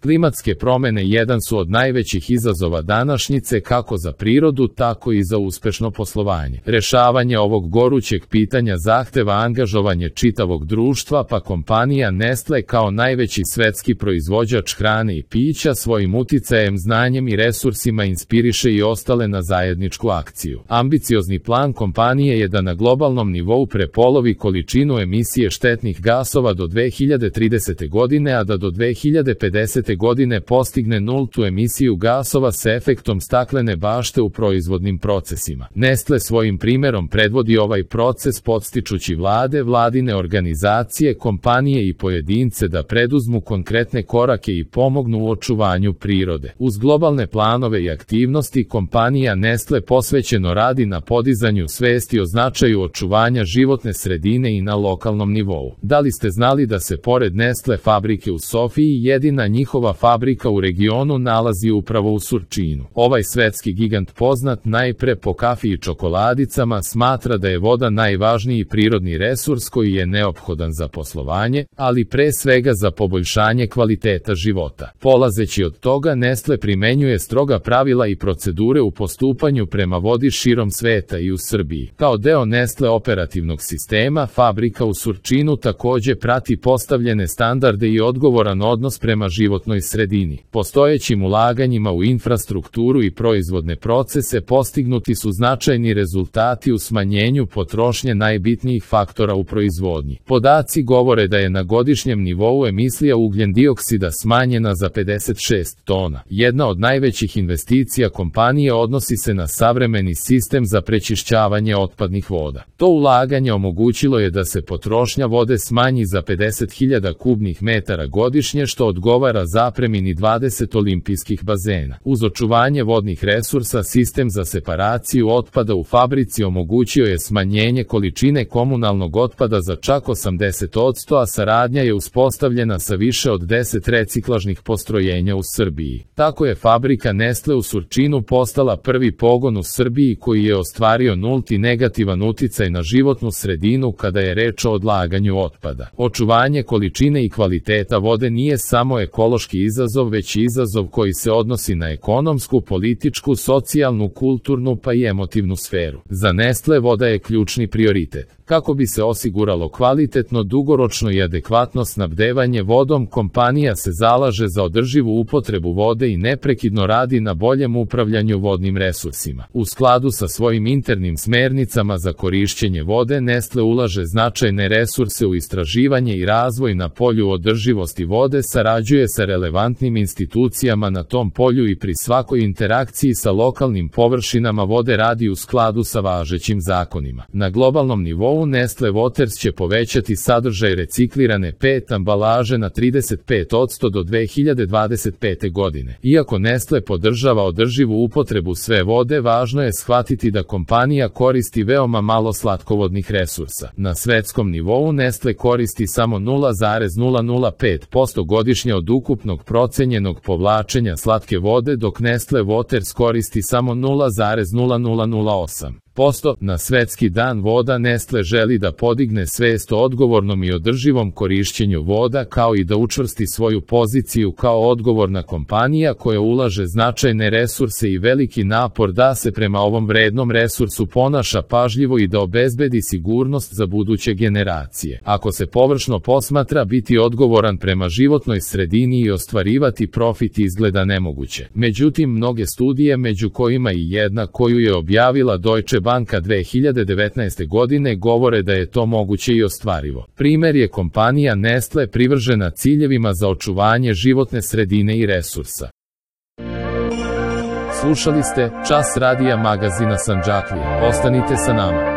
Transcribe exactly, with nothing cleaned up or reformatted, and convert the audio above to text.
Klimatske promene jedan su od najvećih izazova današnjice kako za prirodu, tako i za uspešno poslovanje. Rešavanje ovog gorućeg pitanja zahteva angažovanje čitavog društva, pa kompanija Nestle kao najveći svetski proizvođač hrane i pića svojim uticajem, znanjem i resursima inspiriše i ostale na zajedničku akciju. Ambiciozni plan kompanije je da na globalnom nivou prepolovi količinu emisije štetnih gasova do dve hiljade tridesete. godine, a da do dve hiljade pedesete. godine postigne nultu emisiju gasova sa efektom staklene bašte u proizvodnim procesima. Nestle svojim primerom predvodi ovaj proces podstičući vlade, vladine organizacije, kompanije i pojedince da preduzmu konkretne korake i pomognu u očuvanju prirode. Uz globalne planove i aktivnosti, kompanija Nestle posvećeno radi na podizanju svesti o značaju očuvanja životne sredine i na lokalnom nivou. Da li ste znali da se pored Nestle fabrike u Sofiji, jedina njihova fabrika u regionu nalazi upravo u Surčinu? Ovaj svetski gigant, poznat najpre po kafi i čokoladicama, smatra da je voda najvažniji prirodni resurs koji je neophodan za poslovanje, ali pre svega za poboljšanje kvaliteta života. Polazeći od toga, Nestle primenjuje stroga pravila i procedure u postupanju prema vodi širom sveta i u Srbiji. Kao deo Nestle operativnog sistema, fabrika u Surčinu takođe prati postavljene standarde i odgovoran odnos prema životnoj sredini. Postojećim ulaganjima u infrastrukturu i proizvodne procese postignuti su značajni rezultati u smanjenju potrošnje najbitnijih faktora u proizvodnji. Podaci govore da je na godišnjem nivou emisija ugljen-dioksida smanjena za pedeset šest tona. Jedna od najvećih investicija kompanije odnosi se na savremeni sistem za prečišćavanje otpadnih voda. To ulaganje omogućilo je da se potrošnja vode smanji za pedeset hiljada kubnih metara godišnje, što odgovara zapremini dvadeset olimpijskih bazena. Uz očuvanje vodnih resursa, sistem za separaciju otpada u fabrici omogućio je smanjenje količine komunalnog otpada za čak osamdeset posto, a saradnja je uspostavljena sa više od deset reciklažnih postrojenja u Srbiji. Tako je fabrika Nestle u Surčinu postala prvi pogon u Srbiji koji je ostvario nulti negativan uticaj na životnu sredinu kada je reč o odlaganju otpada. Očuvanje količine i kvaliteta vode nije samo ekološki izazov, već i izazov koji se odnosi na ekonomsku, političku, socijalnu, kulturnu pa i emotivnu sferu. Za Nestle voda je ključni prioritet. Kako bi se osiguralo kvalitetno, dugoročno i adekvatno snabdevanje vodom, kompanija se zalaže za održivu upotrebu vode i neprekidno radi na boljem upravljanju vodnim resursima. U skladu sa svojim internim smernicama za korišćenje vode, Nestle ulaže značajne resurse u istraživanje i razvoj na polju održivosti vode, sarađuje sa relevantnim institucijama na tom polju i pri svakoj interakciji sa lokalnim površinama vode radi u skladu sa važećim zakonima. Na globalnom nivou Nestle Waters će povećati sadržaj reciklirane pet ambalaže na trideset pet posto do dve hiljade dvadeset pete. godine. Iako Nestle podržava održivu upotrebu sve vode, važno je shvatiti da kompanija koristi veoma malo slatkovodnih resursa. Na svetskom nivou Nestle koristi samo nula zarez nula nula pet posto godišnje od ukupnog procenjenog povlačenja slatke vode, dok Nestle Waters koristi samo nula zarez nula nula nula osam posto. Na svetski dan voda Nestle želi da podigne svest o odgovornom i održivom korišćenju voda, kao i da učvrsti svoju poziciju kao odgovorna kompanija koja ulaže značajne resurse i veliki napor da se prema ovom vrednom resursu ponaša pažljivo i da obezbedi sigurnost za buduće generacije. Ako se površno posmatra, biti odgovoran prema životnoj sredini i ostvarivati profit izgleda nemoguće. Međutim, mnoge studije, među kojima i jedna koju je objavila Deutsche Banka dve hiljade devetnaeste. godine, govore da je to moguće i ostvarivo. Primer je kompanija Nestle privržena ciljevima za očuvanje životne sredine i resursa. Slušali ste Čas radija magazina Sandžaklije. Ostanite sa nama.